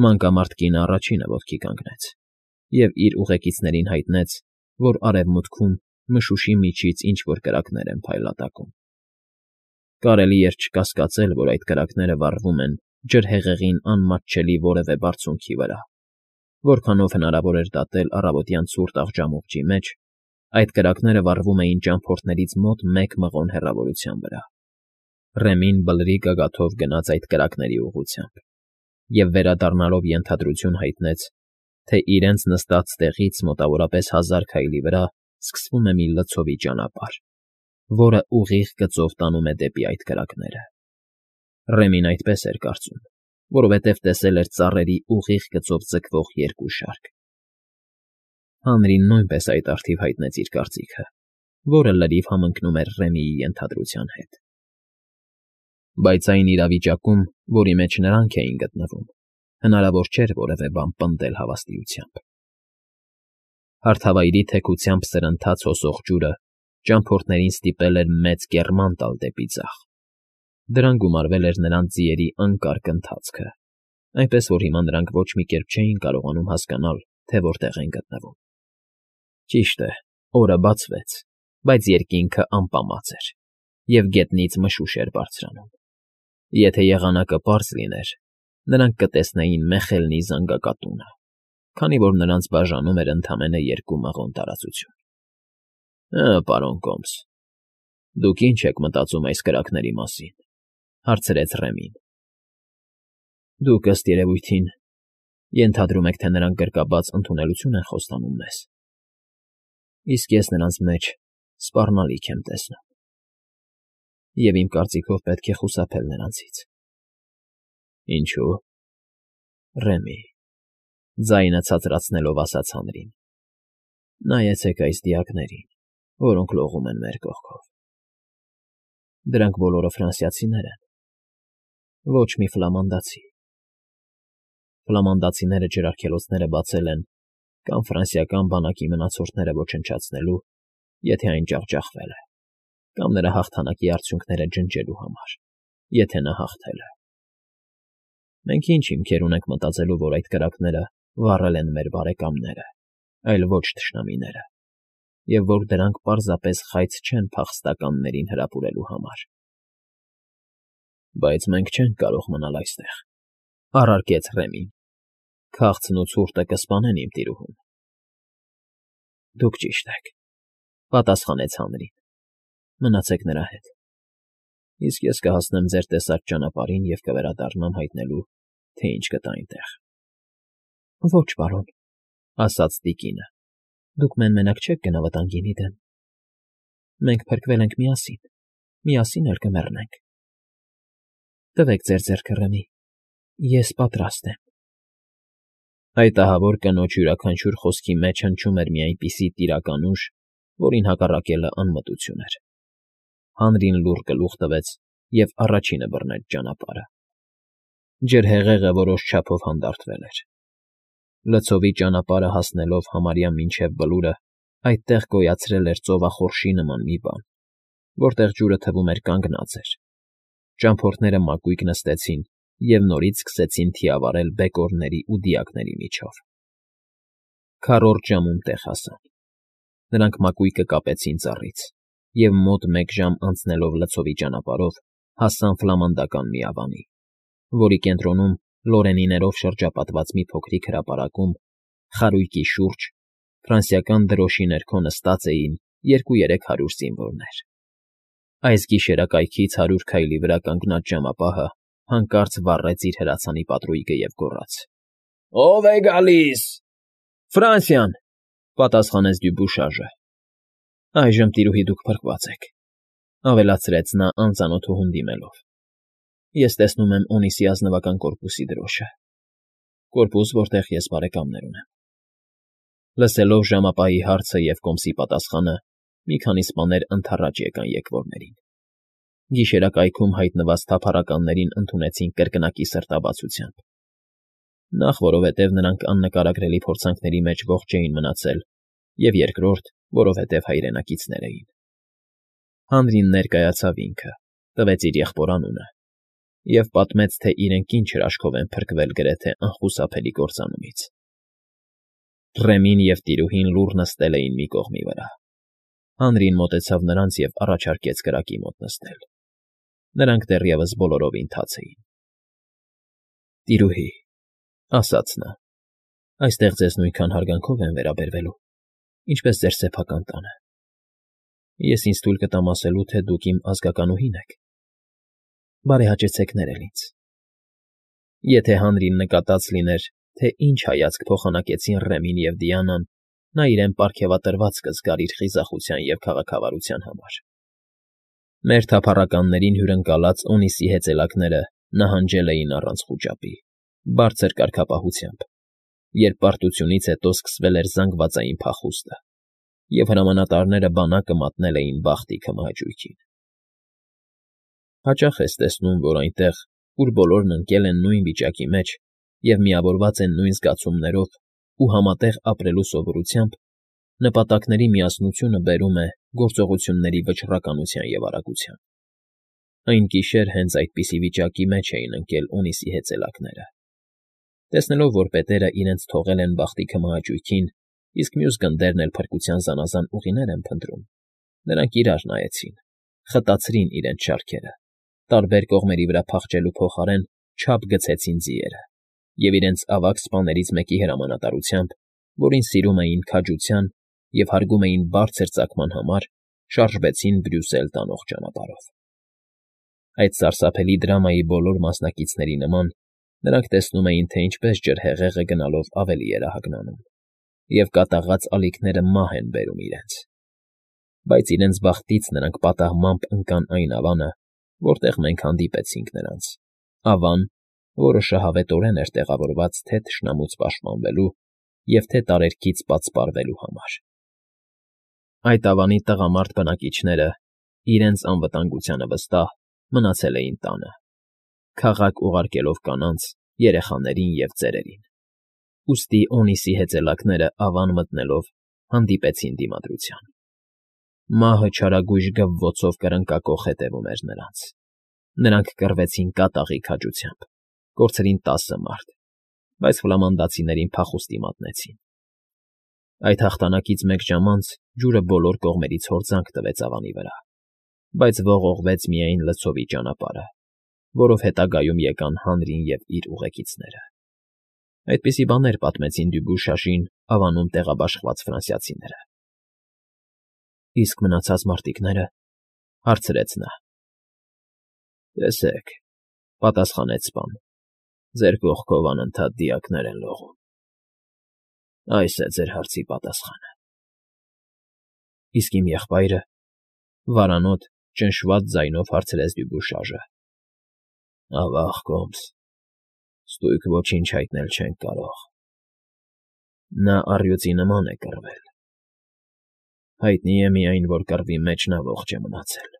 Մանկամարտ կինը առաջինը ոտքի կանգնեց և իր ուղեկիցներին հայտնեց, որ արևմուտքում մշուշի միջից ինչ֊որ կրակներ են փայլատակում. կարելի էր չկասկածել, որ այդ կրակները վառվում են ջրհեղեղին անմատչելի որևէ բարձունքի վրա, որքանով հնարավոր էր դատել առավոտյան ցուրտ աղջամուղջի մեջ, այդ կրակները վառվում էին ճամփորդներից մոտ 1 մղոն հեռավորության վրա։ Ռեմին բլրի գագաթով գնաց այդ կրակների ուղղությամբ և վերադառնալով ենթադրություն հայտնեց, թե իրենց նստած տեղից մոտավորապես 1000 քայլի վրա սկսվում է մի լցովի ճանապարհ, որը ուղիղ գծով տանում է դեպի այդ կրակները։ Ռեմին այդպես էր կարծում, որովհետև տեսել էր ծառերի ուղիղ գծով ձգվող 2 շարք։ Հանրին նույնպես այդ առթիվ հայտնեց իր կարծիքը, որը լրիվ համընկնում էր Ռեմիի ենթադրության հետ։ Բայց այն իրավիճակում, որի մեջ նրանք էին գտնվում, հնարավոր չէր որևէ բան պնդել հավաստիությամբ։ Հարթավայրի թեքությամբ սրընթաց հոսող ջուրը ճամփորդներին ստիպել էր մեծ կեռման տալ դեպի ձախ։ Դրան գումարվել էր նրանց ձիերի անկարգ ընթացքը, այնպես որ հիմա նրանք ոչ մի կերպ չէին կարողանում հասկանալ, թե որտեղ են գտնվում։ Ճիշտ է, օրը բացվեց, բայց երկինքը ամպամած էր, և գետնից մշուշ էր բարձրանում։ Եթե եղանակը պարզ լիներ, նրանք կտեսնեին Մեխելնի զանգակատունը, քանի որ նրանց բաժանում էր ընդամենը 2 մղոն տարածություն։ Պարոն Կոմս, դուք ի՞նչ եք մտածում այս կրակների մասին,֊ հարցրեց Ռեմին։ Դուք, ըստ երևույթին, ենթադրում եք, թե նրանք գրկաբաց ընդունելություն են խոստանում մեզ, իսկ ես նրանց մեջ սպառնալիք եմ տեսնում, և իմ կարծիքով պետք է խուսափել նրանցից։ Ինչո՞ւ։ Ռեմի, ձայնը ցածրացնելով ասաց հանրին, նայեցեք այս դիակներին, որոնք լողում են մեր կողքով։ Դրանք բոլորը ֆրանսիացիներ են, ոչ մի ֆլամանդացի։ Ֆլամանդացիները ջրարգելոցները բացել են կամ ֆրանսիական բանակի մնացորդները ոչնչացնելու, եթե այն ջախջախվել է, կամ նրա հաղթանակի արդյունքները ջնջելու համար, եթե նա հաղթել է։ Մենք ինչ հիմքեր ունենք մտածելու, որ այդ կրակները վառել են մեր բարեկամները, այլ ոչ թշնամիները, և որ դրանք պարզապես խայծ չեն փախստականներին հրապուրելու համար։ Բայց մենք չենք կարող մնալ այստեղ,֊ առարկեց Ռեմին։ Քաղցն ու ցուրտը կսպանեն իմ տիրուհուն։ Դուք ճիշտ եք,֊ պատասխանեց հանրին։ Մնացեք նրա հետ, իսկ ես կհասնեմ ձեր տեսած ճանապարհին և կվերադառնամ հայտնելու, թե ինչ կտա այնտեղ։ Ոչ, պարոն,֊ ասաց տիկինը, դուք մեն֊մենակ չեք գնա վտանգի դեմ։ Մենք փրկվել ենք միասին էլ կմեռնենք։ Տվեք ձեր ձեռքը, Ռեմի, ես պատրաստ եմ։ Այդ ահավոր կնոջ յուրաքանչյուր խոսքի մեջ հնչում էր մի այնպիսի տիրական ուժ, որին հակառակելը անմտություն էր։ Հանրին լուռ գլուխ տվեց և առաջինը բռնեց ճանապարհը։ Ջրհեղեղը որոշ չափով հանդարտվել էր։ Լցովի ճանապարհը հասնելով համարյա մինչև Բլուրը, այդտեղ գոյացրել էր ծովախորշի նման մի բան, որտեղ ջուրը թվում էր կանգնած էր։ Ճամփորդները մակույկ նստեցին և նորից սկսեցին թիավարել բեկորների ու դիակների միջով։ Քառորդ ժամում տեղ հասան։ Նրանք մակույկը կապեցին ծառից և մոտ 1 ժամ անցնելով լցովի ճանապարհով հասան ֆլամանդական միավանի, որի կենտրոնում լորենիներով շրջապատված մի փոքրիկ հրապարակում, խարույկի շուրջ, ֆրանսիական դրոշի ներքո նստած էին 200-300 զինվորներ։ Այս գիշերակայքից 100 քայլի վրա կանգնած ժամապահը հանկարծ վառեց իր հրացանի պատրույգը և գոռաց. «Ո՞վ է գալիս»։ Ֆրանսիան,֊ պատասխանեց Դյուբուշաժը։ Այժմ, տիրուհի, դուք փրկված եք,֊ ավելացրեց նա անծանոթուհուն դիմելով։ Ես տեսնում եմ Օնիսի ազնվական կորպուսի դրոշը, կորպուս, որտեղ ես բարեկամներ ունեմ։ Լսելով ժամապահի հարցը և կոմսի պատասխանը, մի քանի սպաներ ընդառաջ եկան եկվորներին։ Գիշերակայքում հայտնված թափառականներին ընդունեցին կրկնակի սրտաբացությամբ։ Նախ, որովհետև նրանք աննկարագրելի փորձանքների մեջ ողջ էին մնացել, և երկրորդ, որովհետև հայրենակիցներ էին։ Հանրին ներկայացավ ինքը, տվեց իր եղբոր անունը Եվ պատմեց, թե իրենք ինչ հրաշքով են փրկվել գրեթե անխուսափելի կործանումից։ Ռեմին և տիրուհին լուռ նստել էին մի կողմի վրա։ Հանրին մոտեցավ նրանց և առաջարկեց կրակի մոտ նստել։ Նրանք դեռևս բոլորովին թաց էին։ Տիրուհի, ասաց նա, այստեղ ձեզ նույնքան հարգանքով են վերաբերվելու, ինչպես ձեր սեփական տանը։ Ես ինձ թույլ կտամ ասելու, թե դուք իմ ազգականուհին եք։ Բարեհաճեցեք ներել ինձ։ Եթե հանրին նկատած լիներ, թե ինչ հայացք փոխանակեցին Ռեմին և Դիանան, նա իրեն պարգևատրված կզգար իր խիզախության և քաղաքավարության համար։ Մեր թափառականներին հյուրընկալած Օնիսի հեծելակները նահանջել էին առանց խուճապի, բարձր կարգապահությամբ, երբ պարտությունից հետո սկսվել էր զանգվածային փախուստը, և հրամանատարները բանակը մատնել էին բախտի քմահաճույքին։ Հաճախ ես տեսնում, որ այնտեղ, ուր բոլորն ընկել են նույն վիճակի մեջ և միավորված են նույն զգացումներով ու համատեղ ապրելու սովորությամբ, նպատակների միասնությունը բերում է գործողությունների վճռականության և արագության։ Այն գիշեր հենց այդպիսի վիճակի մեջ էին ընկել Օնիսի հեծելակները։ Տեսնելով, որ պետերը իրենց թողել են բախտի քմահաճույքին, իսկ մյուս գնդերն էլ փրկության զանազան ուղիներ են փնտրում, նրանք իրար նայեցին, խտացրին իրենց շարքերը, տարբեր կողմերի վրա փախչելու փոխարեն չափ գցեցին ձիերը և իրենց ավագ սպաներից մեկի հրամանատարությամբ, որին սիրում էին քաջության և հարգում էին բարձր ծագման համար, շարժվեցին Բրյուսել տանող ճանապարհով։ Այդ սարսափելի դրամայի բոլոր մասնակիցների նման նրանք տեսնում էին, թե ինչպես ջրհեղեղը գնալով ավելի էր ահագնանում, և կատաղած ալիքները մահ են բերում իրենց։ Բայց իրենց բախտից նրանք պատահմամբ ընկան այն ավանը, որտեղ մենք հանդիպեցինք նրանց, ավան, որը շահավետորեն էր տեղավորված թե՛ թշնամուց պաշտպանվելու և թե՛ տարերքից պատսպարվելու համար։ Այդ ավանի տղամարդ բնակիչները, իրենց անվտանգությանը վստահ, մնացել էին տանը, քաղաք ուղարկելով կանանց, երեխաներին և ծերերին։ Ուստի Օնիսի հեծելակները ավան մտնելով հանդիպեցին դիմադրության։ Մահը չարագույժ գվվոցով կրնկակոխ հետևում էր նրանց։ Նրանք կռվեցին կատաղի քաջությամբ, կորցրին 10 մարդ, բայց ֆլամանդացիներին փախուստի մատնեցին։ Այդ հաղթանակից մեկ ժամ անց ջուրը բոլոր կողմերից հորձանք տվեց ավանի վրա, բայց ողողվեց միայն լցովի ճանապարհը, որով հետագայում եկան հանրին և իր ուղեկիցները։ Այդպիսի բաներ պատմեցին Դյուբուշաժին ավանում տեղաբաշխված ֆրանսիացիները։ Իսկ մնացած մարտիկնե՞րը,֊ հարցրեց նա։ Տեսեք,֊ պատասխանեց սպան,֊ ձեր կողքով անընդհատ դիակներ են լողում։ Այս է ձեր հարցի պատասխանը։ Իսկ իմ եղբայրը,֊ վարանոտ, ճնշված ձայնով հարցրեց Դյուբուշաժը։ Ավա՜ղ, կոմս, ստույգ ոչինչ հայտնել չենք կարող։ Նա առյուծի նման է կռվել։ Հայտնի է միայն, որ կռվի մեջ նա ողջ է մնացել։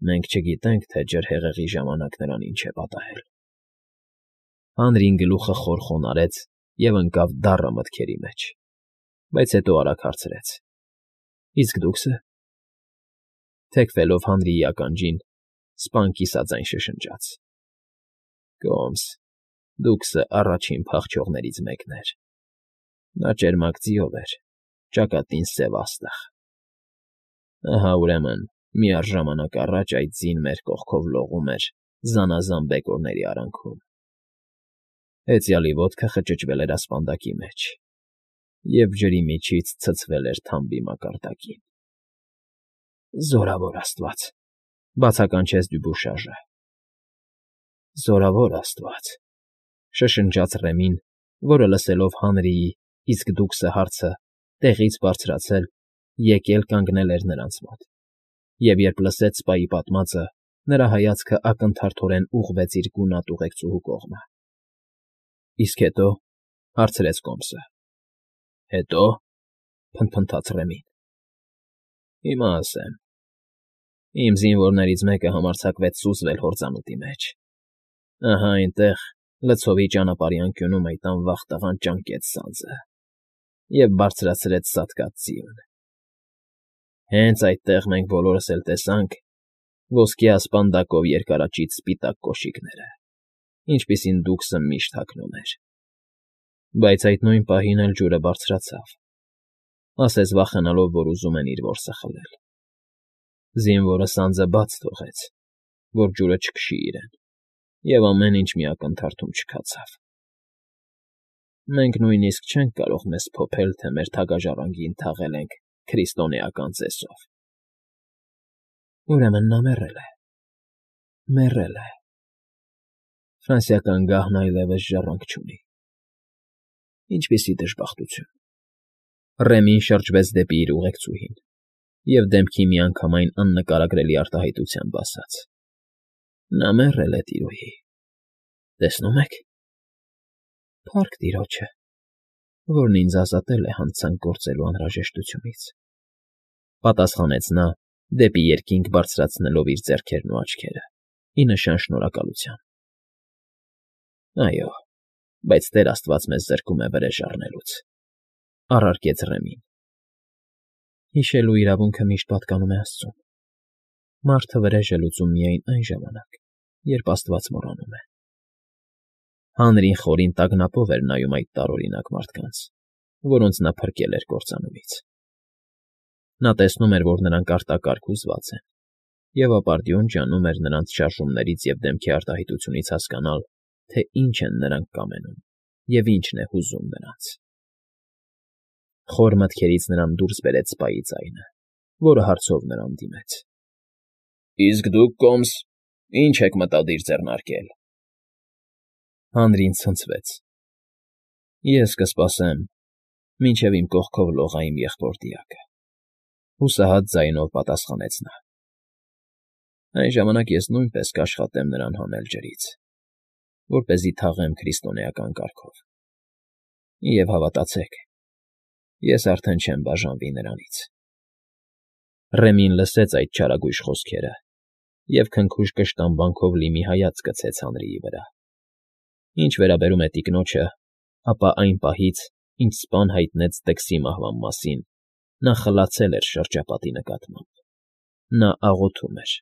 Մենք չգիտենք, թե ջրհեղեղի ժամանակ նրան ինչ է պատահել։ Հանրին գլուխը խոր խոնարհեց և ընկավ դառը մտքերի մեջ, բայց հետո արագ հարցրեց. Իսկ դուքսը… Թեքվելով հանրի ականջին, սպան կիսաձայն շշնջաց. Կոմս, դուքսը առաջին փախչողներից մեկն էր։ Նա ճերմակ ձիով էր, ճակատին սև աստղ։ Ահա, ուրեմն, միառժամանակ առաջ այդ ձին մեր կողքով լողում էր զանազան բեկորների արանքում։ Հեծյալի ոտքը խճճվել էր ասպանդակի մեջ, և ջրի միջից ցցվել էր թամբի մակարդակին։ Զորավոր աստված,֊ բացականչեց Դյուբուշաժը։ Զորավոր աստված,֊ շշնջաց Ռեմին, որը լսելով Հանրիի «Իսկ դուքսը» հարցը, տեղից բարձրացել, եկել կանգնել էր նրանց մոտ, և երբ լսեց սպայի պատմածը, նրա հայացքը ակնթարթորեն ուղղվեց իր գունատ ուղեկցուհու կողմը։ Իսկ հետո,֊ հարցրեց կոմսը։ Հետո,֊ փնթփնթաց Ռեմին։ Հիմա ասեմ. Իմ զինվորներից մեկը համարձակվեց սուզվել հորձանուտի մեջ։ Ահա այնտեղ, լցովի ճանապարհի անկյունում այդ անվախ տղան ճանկեց սանձը և բարձրացրեց սատկած ձիուն։ Հենց այդտեղ մենք բոլորս էլ տեսանք, ոսկյա ասպանդակով երկարաճիտ սպիտակ կոշիկները, ինչպիսին դուքսը միշտ հագնում էր։ Բայց այդ նույն պահին էլ ջուրը բարձրացավ, ասես վախենալով, որ ուզում են իր որսը խլել։ Զինվորը սանձը բաց թողեց, որ ջուրը չքշի իրեն, և ամեն ինչ մի ակնթարթում չքացավ։ Մենք նույնիսկ չենք կարող մեզ փոփել, թե մեր թագաժառանգին թաղել ենք քրիստոնեական ծեսով։ Ուրեմն նա մեռել է։ Ֆրանսիական գահն այլևս ժառանգ չունի։ Ինչպիսի դժբախտություն։ Ռեմին շրջվեց դեպի իր ուղեկցուհին և դեմքի միանգամայն աննկարագրելի արտահայտությամբ ասաց. Նա մեռել է, տիրոհի, տեսնում եք։ Փառք Տիրոջը, որն ինձ ազատել է հանցանք գործելու անհրաժեշտությունից, պատասխանեց նա, դեպի երկինք բարձրացնելով իր ձեռքերն ու աչքերը, ի նշան շնորհակալության։ Այո, բայց Տեր Աստված մեզ զրկում է վրեժ առնելուց, առարկեց Ռեմին։ Հիշելու իրավունքը միշտ պատկանում է Աստծուն։ Մարդը վրեժ է լուծում միայն այն ժամանակ, երբ Աստված մոռանում է։ Հանրին խորին տագնապով էր նայում այդ տարօրինակ մարդկանց, որոնց նա փրկել էր կործանումից։ Նա տեսնում էր, որ նրանք արտակարգ հուզված են, և ապարդյուն ջանում էր նրանց շարժումներից և դեմքի արտահայտությունից հասկանալ, թե ինչ են նրանք կամենում և ինչն է հուզում նրանց։ Խոր մտքերից նրան դուրս բերեց սպայի ձայնը, որը հարցով նրան դիմեց. Իսկ դուք, կոմս, ի՞նչ եք մտադիր ձեռնարկել։ Հանրին ցնցվեց։ Ես կսպասեմ, մինչև իմ կողքով լողա իմ եղբոր֊դիակը, հուսահատ ձայնով պատասխանեց նա։ Այն ժամանակ ես նույնպես կաշխատեմ նրան հանել ջրից, որպեսզի թաղեմ քրիստոնեական կարգով։ Եվ հավատացեք, ես արդեն չեմ բաժանվի նրանից։ Ռեմին լսեց այդ չարագույժ խոսքերը և քնքուշ կշտամբանքով լի մի հայացք գցեց հանրիի վրա։ Ինչ վերաբերում է տիկնոջը, ապա այն պահից, ինչ սպան հայտնեց Դքսի մահվան մասին, նա խլացել էր շրջապատի նկատմամբ։ Նա աղոթում էր,